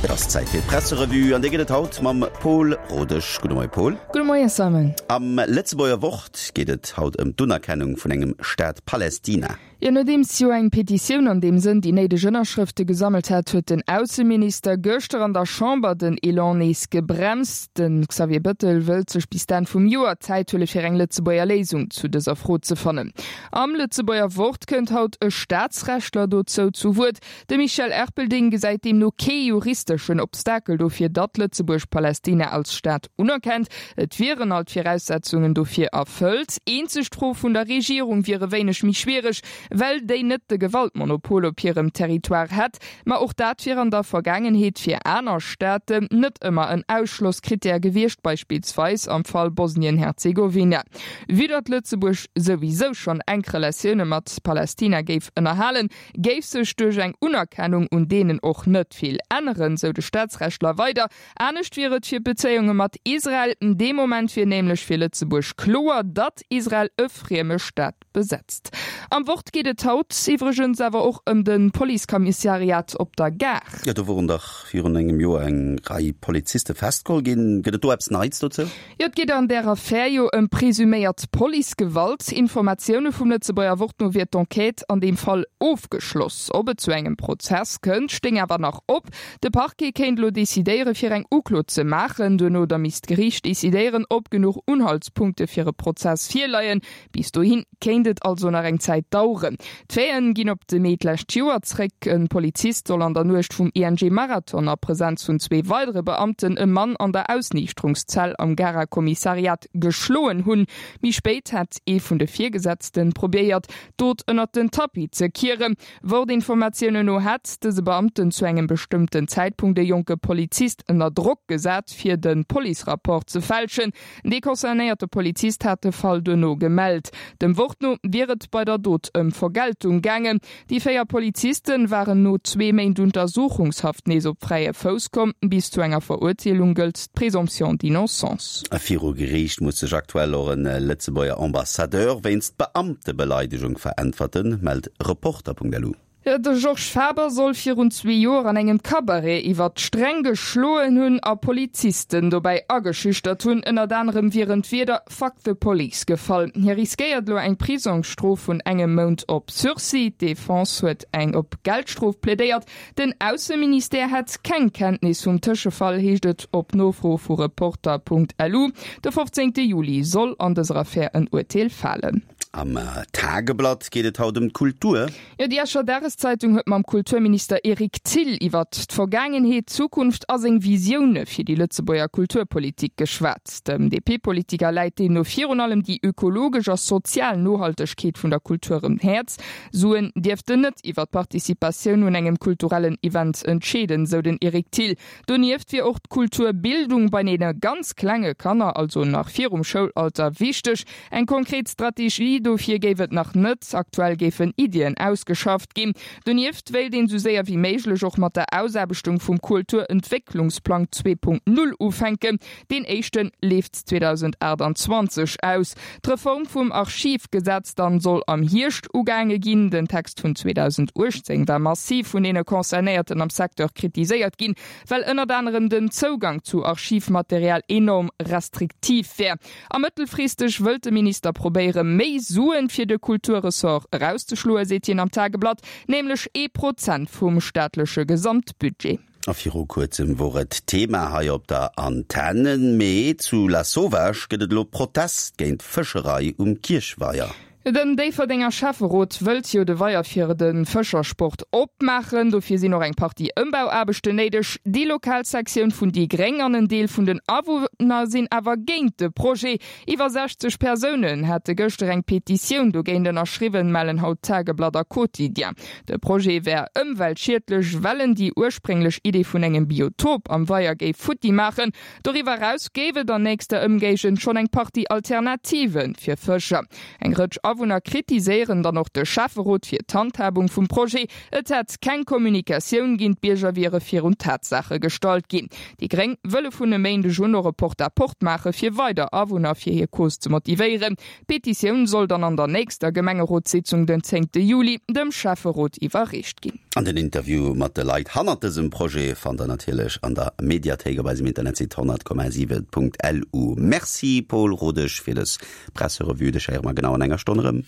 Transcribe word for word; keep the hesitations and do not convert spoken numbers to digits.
Et ass Zäit fir d'Presserevue an déi gëtt et haut mam Paul Rodesch. Gudde Moie Paul. Gudde Moie Simon. Am Lëtzebuerger Wort geet et haut ëm d'Unerkennung vun engem Staat Palästina. Jo, nodeems jo eng Petitioun an deem Sënn déi néideg Ënnerschrëfte gesammelt hat, huet den Ausseminister gëschter an der Chamber den Elan nees gebremst. De Xavier Bettel wëllt sech bis d'Enn vum Joer Zäit huele fir eng Lëtzebuerger Léisung zu dëser Fro ze fannen. Am Lëtzebuerger Wort kënnt haut e Staatsrechtler dozou zu Wuert. De Michel Erpelding gesäit deemno kee juristeschen Obstakel dofir, datt Lëtzebuerg Palästina als Staat unerkennt. Et wieren all d'Viraussetzungen dofir erfëllt. Eenzeg d'Fro vun der Regierung wier e wéineg méi schwiereg, well déi net de Gewaltmonopol op hirem Territoire hätt. Ma och dat wier an der Vergaangenheet fir aner Staaten net ëmmer en Ausschlosskrittär gewiescht, beispillsweis am Fall Bosnien-Herzegowina. Vue datt Lëtzebuerg souwisou schonn enk Relatioune mat Palästina géif ënnerhalen, géif sech duerch eng Unerkennung un deenen och net vill änneren, sou de Staatsrechtler weider. Anescht wier et fir d'Bezéiunge mat Israel. Dee Moment wier nämlech fir Lëtzebuerg kloer, datt Israel e frieme Staat besetzt. Am Wort geet et haut iwwregens awer och ëm de Policekommissariat op der Gare. Jo, do woren dach virun engem Joer eng Rei Poliziste festgeholl ginn. Gëtt et do eppes Neits dozou? Jo, et geet an där Affär jo ëm presuméiert Policegewalt. Informatioune vum Lëtzebuerger Wort no wier d'Enquête an deem Fall ofgeschloss. Ob et zu engem Prozess kënnt, stéing awer nach op. De Parquet kéint elo decidéiere fir eng Uklo ze maachen. Duerno da misst d'Geriicht decidéieren, ob genuch Unhaltspunkte fir e Prozess virleien. Bis dohi kéint et also nach eng Zäit daueren. D'Faiten ginn op de Mee d'lescht Joer zréck. E Polizist soll an der Nuecht vum I N G Marathon a Presenz vun zwee weidere Beamten e Mann an der Ausniichterungszell am Garer Kommissariat geschloen hunn. Méi spéit hätt ee vun de Virgesetzten probéiert, d'Dot ënnert den Tapis ze kieren. Wort-Informatiounen no hätt dëse Beamten zu engem bestëmmten Zäitpunkt e jonke Polizist ënner Drock gesat, fir de Policerapport ze fälschen. Dee concernéierte Polizist hat de Fall duerno gemellt. Dem Wort no wier et bei der Dot ëm Vergeltung gaangen. Déi véier Polizisten waren no zwee Méint Untersuchungshaft nees op fräie Fouss komm. Bis zu enger Verurteelung gëllt d'Présomption d'innocence. Viru Geriicht muss sech aktuell och e Lëtzebuerger Ambassadeur wéinst Beamtebeleidegung veräntwerten, mellt Reporter Punkt L U. De Georges Faber soll virun zwee Joer an engem Cabaret iwwer d'Sträng geschloen hunn a Polizisten dobäi ageschüchtert hunn. Ënnert anerem wieren d'Wierder „Fuck the police" gefall. Hie riskéiert elo eng Prisongsstrof vun engem Mount op Sursis. D'Defense huet eng op Geldstrof plädéiert. Den Ausseministère hätt keng Kenntnis vum Tëschefall, heescht et op Nofro vu Reporter Punkt L U. De fofzéngte Juli soll an dëser Affär en Urteel falen. Am Tageblatt geet et haut ëm d'Kultur. Jo, déi Escher Dageszeitung huet mam Kulturminister Eric Thill iwwert d'Vergaangenheet, d'Zukunft a seng Visioune fir déi Lëtzebuerger Kulturpolitik geschwat. Dem D P-Politiker läit deemno virun allem déi ökologesch a sozial Nohaltegkeet vun der Kultur um Häerz. Suen dierften net iwwer d'Participatioun un engem kulturellen Event entscheeden, sou den Eric Thill. Donieft wier och d'Kulturbildung bei deene ganz klenge Kanner, also nach virum Schoulalter, wichteg. Eng konkret Strategie dofir géif et nach net, aktuell géifen Iddien ausgeschafft ginn. Donieft wéilt een sou séier wéi méiglech och mat der Ausaarbechtung vum Kulturentwécklungsplang zwee Punkt null ufänken. Deen éischte leeft zweedausendaachtanzwanzeg aus. D'Reform vum Archivgesetz dann soll am Hierscht ugaange ginn. Den Text vun zweedausenduechtzéng war massiv vun deene Concernéierten am Secteur kritiséiert ginn, well ënnert anerem den Zougang zu Archivmaterial enorm restriktiv wär. A mëttelfristeg wëllt de Minister probéiere méi Suen fir de Kulturressort erauszeschloen, seet hien am Tageblatt, nämlech ee Prozent vum staatleche Gesamtbudget. A viru kuerzem wor et Thema hei op der Antenn, mee zu Lasauvage gëtt et elo Protest géint d'Fëscherei um Kierchweier. Den Déifferdenger Schäfferot wëllt jo de Weier fir de Fëschersport opmaachen. Dofir sinn och eng Partie Ëmbauaarbechten néideg. Déi lokal Sektioun vun déi Gréng an en Deel vun den Awunner sinn awer géint de Projet. Iwwer sechzeg Persounen hätte gëschter eng Petitioun dogéint ënnerschriwwen, mellen haut Tageblatt a Quotidien. De Projet wär ëmweltschiedlech, well en déi ursprénglech Idee vun engem Biotop am Weier géif futti maachen. Doriwwer eraus géif et an nächster Ëmgéigend schonn eng Partie Alternative fir Fëscher. Eng Rëtsch Awunner kritiséieren dann och de Schäfferot fir d'Handhabung vum Projet. Et hätt keng Kommunikatioun ginn, d'Bierger wiere virun d'Tatsaache gestallt ginn. Déi gréng wëlle vun e Méindeg un och e Porte-à-porte maache fir weider Awunner fir hir Cause ze motivéieren. D'Petitioun soll dann an der nächster Gemengerotssitzung den zéngte Juli dem Schäfferot iwwerreecht ginn. An den Interview mat de Leit hannert dësem Projet fannt der natierlech an der Mediathéik op eisem Internetsite honnert Komma siwen Punkt lu. Merci Paul Rodesch fir dës Presserevue. Dech héiere mer genau an enger Stonn erëm.